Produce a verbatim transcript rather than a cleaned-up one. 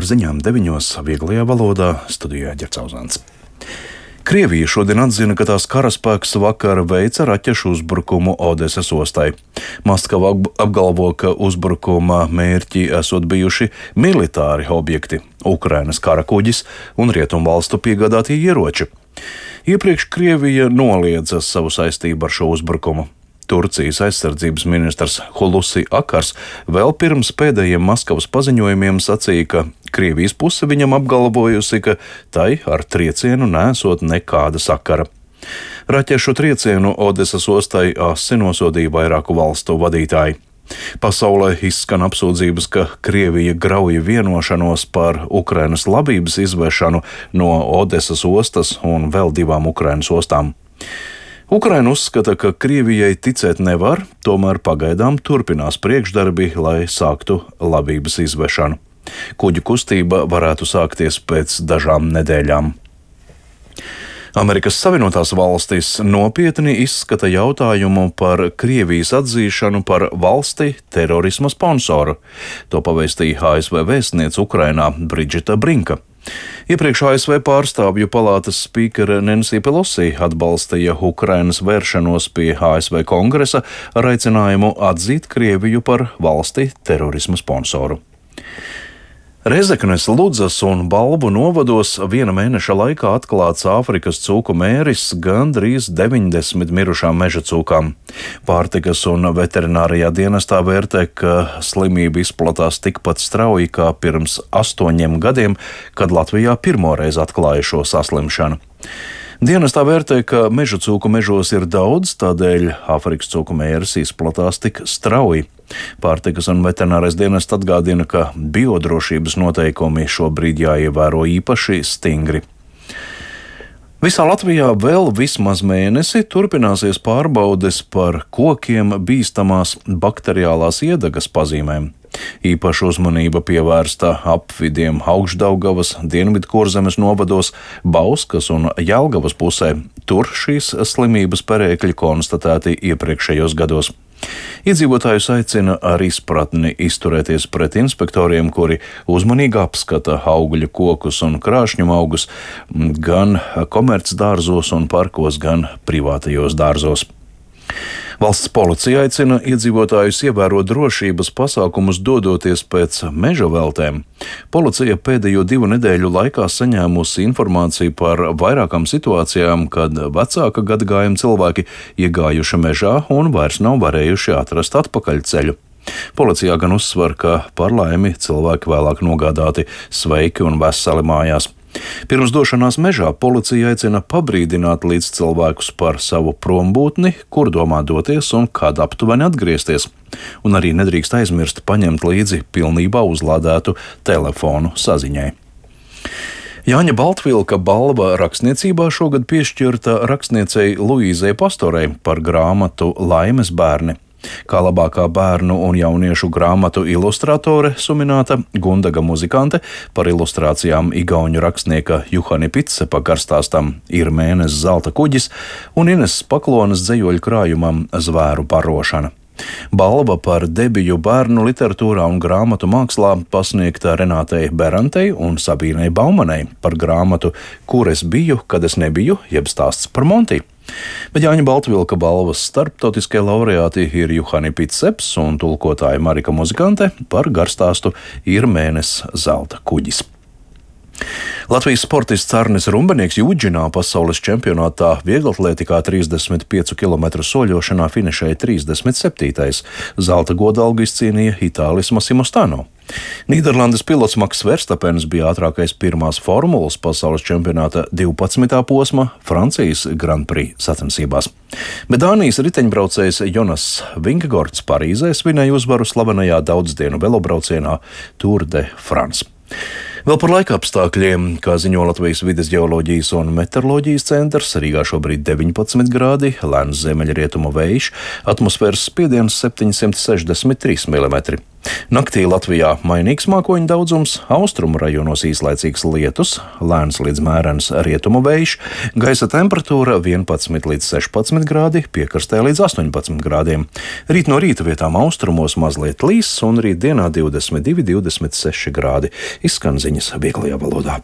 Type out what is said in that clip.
ar ziņām deviņos vieglajā valodā studijā Ģercauzāns. Krievija šodien atzina, ka tās karaspēks vakar veica raķešu uzbrukumu Odesas ostai. Maskava apgalvo, ka uzbrukuma mērķi esot bijuši militāri objekti, Ukrainas karakuģis un rietumvalstu piegādātie ieroči. Iepriekš Krievija noliedza savu saistību ar šo uzbrukumu. Turcijas aizsardzības ministrs Hulusi Akars vēl pirms pēdējiem Maskavas paziņojumiem sacīja, ka Krievijas puse viņam apgalvojusi, ka tai ar triecienu nesot nekāda sakara. Raķešu triecienu Odesas ostai asi nosodīja vairāku valstu vadītāji. Pasaulē izskan apsūdzības, ka Krievija grauja vienošanos par Ukrainas labības izvešanu no Odesas ostas un vēl divām Ukrainas ostām. Ukraina uzskata, ka Krievijai ticēt nevar, tomēr pagaidām turpinās priekšdarbi, lai sāktu labības izvešanu. Kuģu kustība varētu sākties pēc dažām nedēļām. Amerikas Savienotās valstis nopietni izskata jautājumu par Krievijas atzīšanu par valsti terorisma sponsoru. To pavēstīja A S V vēstniece Ukrainā Bridžita Brinka. Iepriekš A S V pārstāvju palātas spīkere Nancy Pelosi atbalstīja Ukrainas vēršanos pie A S V kongresa ar aicinājumu atzīt Krieviju par valsti terorisma sponsoru. Rezeknes, Ludzas un Balvu novados viena mēneša laikā atklāts Āfrikas cūku mēris gandrīz deviņdesmit mirušām meža cūkām. Pārtikas un veterinārijā dienestā vērtē, ka slimība izplatās tikpat strauji kā pirms astoņiem gadiem, kad Latvijā pirmoreiz atklāja šo saslimšanu. Dienestā vērtē, ka meža cūku mežos ir daudz, tādēļ Āfrikas cūku mēris izplatās tik strauji. Pārtikas un veterinārais dienests atgādina, ka biodrošības noteikumi šobrīd jāievēro īpaši stingri. Visā Latvijā vēl vismaz mēnesi turpināsies pārbaudes par kokiem bīstamās bakteriālās iedagas pazīmēm. Īpaša uzmanība pievērsta apvidiem Augšdaugavas, Dienvidkurzemes novados, Bauskas un Jelgavas pusē. Tur šīs slimības perēkļi konstatēti iepriekšējos gados. Iedzīvotājus aicina ar izpratni izturēties pret inspektoriem, kuri uzmanīgi apskata augļu kokus un krāšņu augus gan komercdārzos un parkos, gan privātajos dārzos. Valsts policija aicina iedzīvotājus ievērot drošības pasākumus dodoties pēc meža veltēm. Policija pēdējo divu nedēļu laikā saņēmusi informāciju par vairākām situācijām, kad vecāka gadagājuma cilvēki iegājuši mežā un vairs nav varējuši atrast atpakaļceļu. Policijā gan uzsver, ka par laimi cilvēki vēlāk nogādāti sveiki un veseli mājās. Pirms došanās mežā policija aicina pabrīdināt līdz cilvēkus par savu prombūtni, kur domā doties un kad aptuveni atgriezties. Un arī nedrīkst aizmirst paņemt līdzi pilnībā uzlādētu telefonu saziņai. Jāņa Baltvilka balva rakstniecībā šogad piešķirta rakstniecei Luīzei Pastorei par grāmatu Laimes bērni. Kā labākā bērnu un jauniešu grāmatu ilustratore sumināta Gundaga muzikante, par ilustrācijām igauņu rakstnieka Juhani Pitsepa garstāstam Ir mēnesis zelta kuģis un Ines Paklonas dzejoļu krājumam Zvēru barošana. Balva par debiju bērnu literatūrā un grāmatu mākslā pasniegta Renātei Berantei un Sabīnei Baumanei par grāmatu Kur es biju, kad es nebiju, jeb stāsts par Monti. Bet Jāņa Baltvilka balvas starptautiskie laureāti ir Juhani Pitseps un tulkotāja Marika Muzikante par garstāstu Ir mēnesis zelta kuģis. Latvijas sportists Arnis Rumbenieks Jūdžinā pasaules čempionātā vieglatlētikā trīsdesmit piecu kilometru soļošanā finišēja trīsdesmit septītais Zelta godalgu izcīnīja Itālis Massimo Stano. Nīderlandes pilots Maks Verstapens bija ātrākais pirmās formulas pasaules čempionāta divpadsmitā posma Francijas Grand Prix sacensībās. Bet Dānijas riteņbraucējs Jonas Vingegaards Parīzē svinēja uzvaru slavenajā daudzdienu velobraucienā Tour de France. Vēl par laika apstākļiem, kā ziņo Latvijas vides ģeoloģijas un meteoroloģijas centrs, Rīgā šobrīd deviņpadsmit grādi, lēns ziemeļrietumu vējš, atmosfēras spiediens septiņsimt sešdesmit trīs milimetri. Naktī Latvijā mainīgs mākoņu daudzums, austrumu rajonos īslaicīgs lietus, lēns līdz mērens rietumu vējš, gaisa temperatūra vienpadsmit līdz sešpadsmit grādi, piekrastē līdz astoņpadsmit grādiem. Rīt no rīta vietām austrumos mazliet līs un rīt dienā divdesmit divi līdz divdesmit seši grādi. Izskan ziņas vieglajā valodā.